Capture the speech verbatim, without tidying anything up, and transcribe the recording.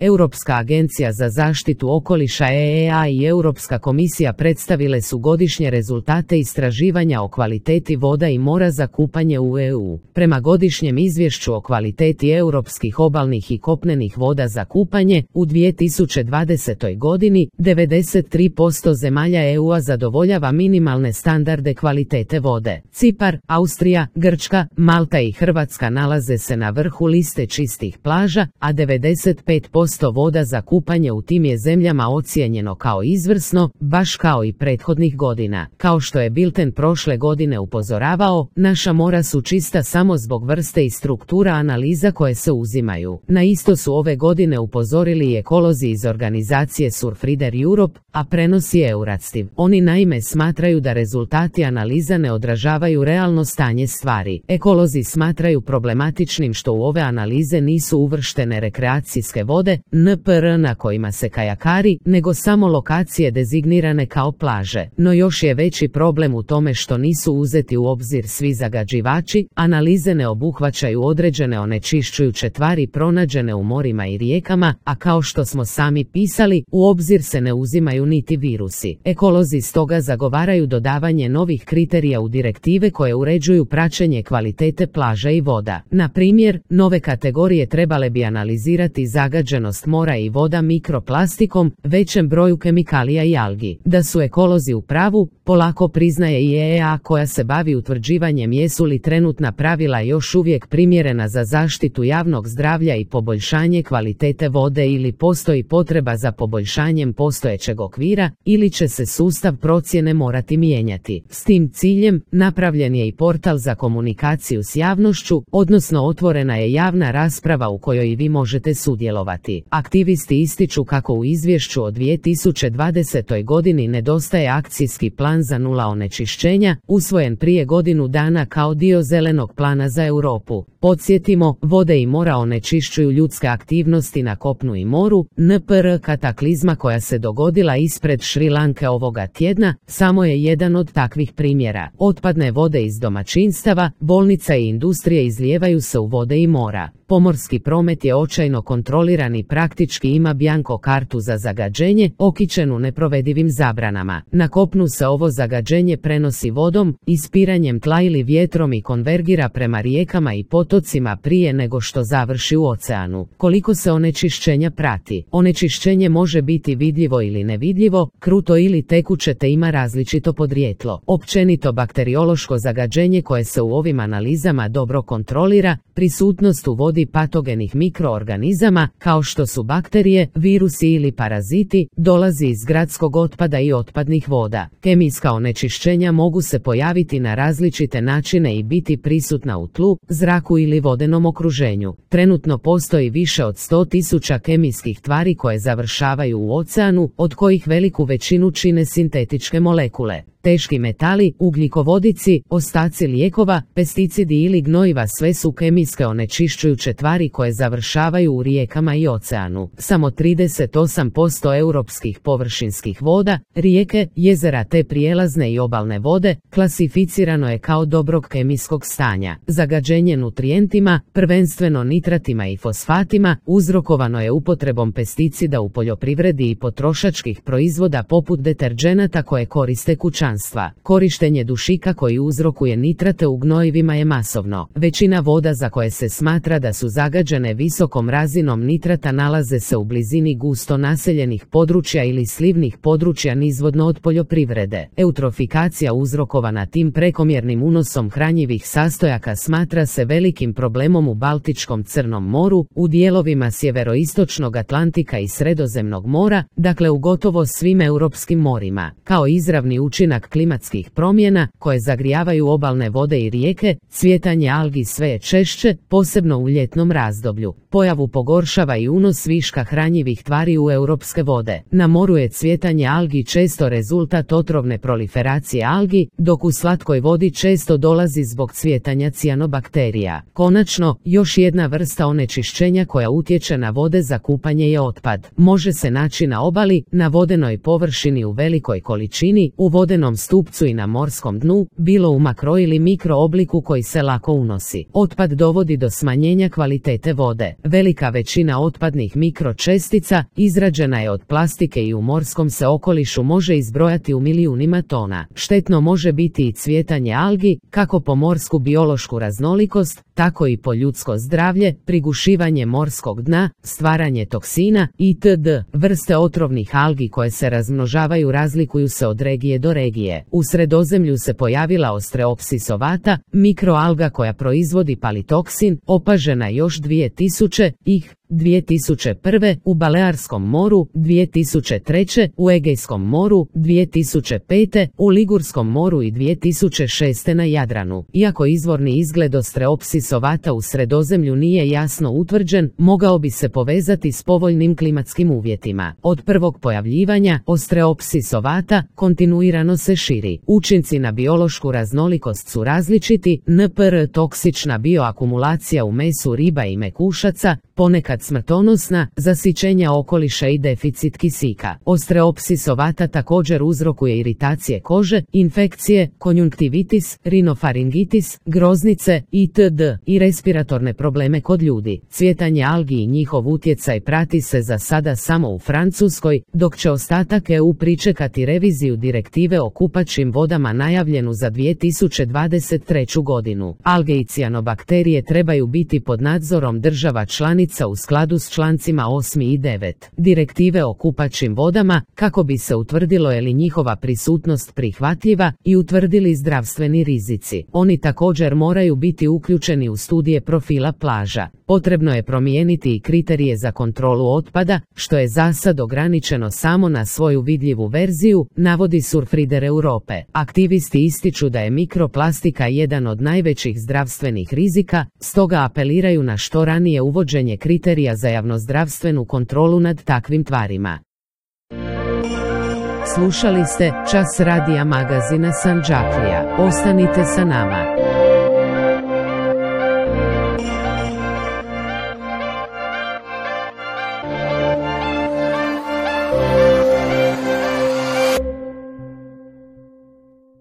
Europska agencija za zaštitu okoliša E E A i Europska komisija predstavile su godišnje rezultate istraživanja o kvaliteti voda i mora za kupanje u E U. Prema godišnjem izvješću o kvaliteti europskih obalnih i kopnenih voda za kupanje, u dvije tisuće dvadesetoj godini devedeset tri posto zemalja E U-a zadovoljava minimalne standarde kvalitete vode. Cipar, Austrija, Grčka, Malta i Hrvatska nalaze se na vrhu liste čistih plaža, a devedeset pet posto voda za kupanje u tim je zemljama ocijenjeno kao izvrsno, baš kao i prethodnih godina. Kao što je Bilten prošle godine upozoravao, naša mora su čista samo zbog vrste i struktura analiza koje se uzimaju. Na isto su ove godine upozorili i ekolozi iz organizacije Surfrider Europe, a prenosi Euratstiv. Oni naime smatraju da rezultati analiza ne odražavaju realno stanje stvari. Ekolozi smatraju problematičnim što u ove analize nisu uvrštene rekreacijske vode, N P R na kojima se kajakari, nego samo lokacije dezignirane kao plaže. No još je veći problem u tome što nisu uzeti u obzir svi zagađivači, analize ne obuhvaćaju određene onečišćujuće tvari pronađene u morima i rijekama, a kao što smo sami pisali, u obzir se ne uzimaju niti virusi. Ekolozi stoga zagovaraju dodavanje novih kriterija u direktive koje uređuju praćenje kvalitete plaža i voda. Na primjer, nove kategorije trebale bi analizirati zagađenost mora i voda mikroplastikom, većem broju kemikalija i algi. Da su ekolozi u pravu, polako priznaje i E E A koja se bavi utvrđivanjem jesu li trenutna pravila još uvijek primjerena za zaštitu javnog zdravlja i poboljšanje kvalitete vode ili postoji potreba za poboljšanjem postojećeg okvira ili će se sustav procjene morati mijenjati. S tim ciljem napravljen je i portal za komunikaciju s javnošću, odnosno otvorena je javna rasprava u kojoj i vi možete sudjelovati. Aktivisti ističu kako u izvješću o dvije tisuće dvadesetoj godini nedostaje akcijski plan za nula onečišćenja, usvojen prije godinu dana kao dio zelenog plana za Europu. Podsjetimo, vode i mora onečišćuju ljudske aktivnosti na kopnu i moru. N P R kataklizma koja se dogodila ispred Šri Lanke ovoga tjedna samo je jedan od takvih primjera. Otpadne vode iz domaćinstava, bolnica i industrije izlijevaju se u vode i mora. Pomorski promet je očajno kontroliran i praktički ima bjanko kartu za zagađenje, okićenu neprovedivim zabranama. Na kopnu se ovo zagađenje prenosi vodom, ispiranjem tla ili vjetrom i konvergira prema rijekama i potocima prije nego što završi u oceanu. Koliko se onečišćenja prati? Onečišćenje može biti vidljivo ili nevidljivo, kruto ili tekuće te ima različito podrijetlo. Općenito bakteriološko zagađenje koje se u ovim analizama dobro kontrolira, prisutnost u vodi patogenih mikroorganizama, kao što su bakterije, virusi ili paraziti, dolazi iz gradskog otpada i otpadnih voda. Kemijska onečišćenja mogu se pojaviti na različite načine i biti prisutna u tlu, zraku ili vodenom okruženju. Trenutno postoji više od sto tisuća kemijskih tvari koje završavaju u oceanu, od kojih veliku većinu čine sintetičke molekule. Teški metali, ugljikovodici, ostaci lijekova, pesticidi ili gnojiva sve su kemijske onečišćujuće tvari koje završavaju u rijekama i oceanu. Samo trideset osam posto europskih površinskih voda, rijeke, jezera te prijelazne i obalne vode, klasificirano je kao dobrog kemijskog stanja. Zagađenje nutrijentima, prvenstveno nitratima i fosfatima, uzrokovano je upotrebom pesticida u poljoprivredi i potrošačkih proizvoda poput deterdženata koje koriste kućanstva. Korištenje dušika koji uzrokuje nitrate u gnojivima je masovno. Većina voda za koje se smatra da su zagađene visokom razinom nitrata nalaze se u blizini gusto naseljenih područja ili slivnih područja nizvodno od poljoprivrede. Eutrofikacija uzrokovana tim prekomjernim unosom hranjivih sastojaka smatra se velikim problemom u Baltičkom Crnom moru, u dijelovima sjeveroistočnog Atlantika i Sredozemnog mora, dakle u gotovo svim europskim morima. Kao izravni učinak klimatskih promjena, koje zagrijavaju obalne vode i rijeke, cvjetanje algi sve je češće, posebno u ljetnom razdoblju. Pojavu pogoršava i unos viška hranjivih tvari u europske vode. Na moru je cvjetanje algi često rezultat otrovne proliferacije algi, dok u slatkoj vodi često dolazi zbog cvjetanja cijanobakterija. Konačno, još jedna vrsta onečišćenja koja utječe na vode za kupanje je otpad. Može se naći na obali, na vodenoj površini u velikoj količini, u vodenom stupcu i na morskom dnu, bilo u makro ili mikro obliku koji se lako unosi. Otpad dovodi do smanjenja kvalitete vode. Velika većina otpada otpadnih mikročestica, izrađena je od plastike i u morskom se okolišu može izbrojati u milijunima tona. Štetno može biti i cvjetanje algi, kako po morsku biološku raznolikost, tako i po ljudsko zdravlje, prigušivanje morskog dna, stvaranje toksina itd. Vrste otrovnih algi koje se razmnožavaju razlikuju se od regije do regije. U Sredozemlju se pojavila Ostreopsis ovata, mikroalga koja proizvodi palitoksin, opažena još dvije tisuće ih dvije tisuće prve, u Balearskom moru dvije tisuće treće, u Egejskom moru dvije tisuće pete, u Ligurskom moru i dvije tisuće šeste na Jadranu. Iako izvorni izgled Ostreopsis ovata u Sredozemlju nije jasno utvrđen, mogao bi se povezati s povoljnim klimatskim uvjetima. Od prvog pojavljivanja Ostreopsis ovata kontinuirano se širi. Učinci na biološku raznolikost su različiti, npr. toksična bioakumulacija u mesu riba i mekušaca, ponekad smrtonosna, zasićenja okoliša i deficit kisika. Ostreopsis ovata također uzrokuje iritacije kože, infekcije, konjunktivitis, rinofaringitis, groznice itd. i respiratorne probleme kod ljudi. Cvjetanje algi i njihov utjecaj prati se za sada samo u Francuskoj, dok će ostatak E U pričekati reviziju direktive o kupaćim vodama najavljenu za dvije tisuće dvadeset treću godinu. Alge i cijanobakterije trebaju biti pod nadzorom država članica u skladu s člancima osam i devet direktive o kupaćim vodama, kako bi se utvrdilo je li njihova prisutnost prihvatljiva i utvrdili zdravstveni rizici. Oni također moraju biti uključeni u studije profila plaža. Potrebno je promijeniti i kriterije za kontrolu otpada, što je za sad ograničeno samo na svoju vidljivu verziju, navodi Surfrider Europe. Aktivisti ističu da je mikroplastika jedan od najvećih zdravstvenih rizika, stoga apeliraju na što ranije uvođenje kriterija za javnozdravstvenu kontrolu nad takvim tvarima. Slušali ste Čas radija magazina Sandžaklija. Ostanite sa nama.